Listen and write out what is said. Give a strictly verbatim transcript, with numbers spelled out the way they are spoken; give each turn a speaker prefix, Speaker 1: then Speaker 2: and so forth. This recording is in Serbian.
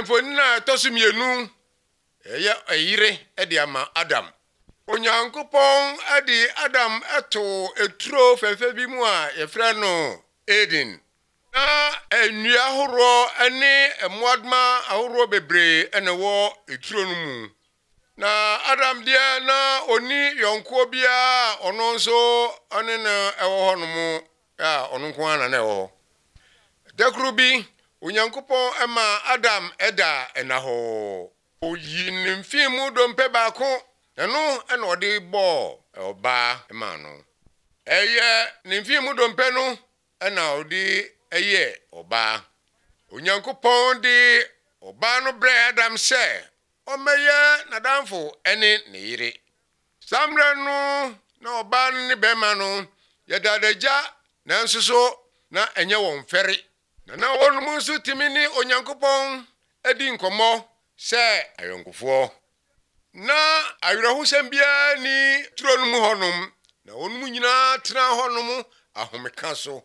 Speaker 1: Mfonina tosumienu eya ayire ede ama Adam. Onyankopon ade Adam eto eturo fefe bi mu a yefra no Eden. Na enua horo ene emwadma ahoro bebre ene wo eturo no mu. Na Adam dia na oni yonko bia ono nso ane na ewo ho no mu ya ono nko ana na ewo. Dekrubi Onyankopon ema Adam eda enaho. Oyi nimfimu dompe baako eno ena ode bo oba ema no. Eye nimfimu dompe no ena ode eye oba. Onyankopon di oba no bre Adam se omeye nadamfo ene ne yire. Samre no na oba no ne bema no yedadaja na nsuso na enye won fere. Na na wonu nso timini Onyankopon edi nkomo se ayonkofo. Na ayirahusem bia ni turo no mu honum na wonu nyina tena honum ahomeka so.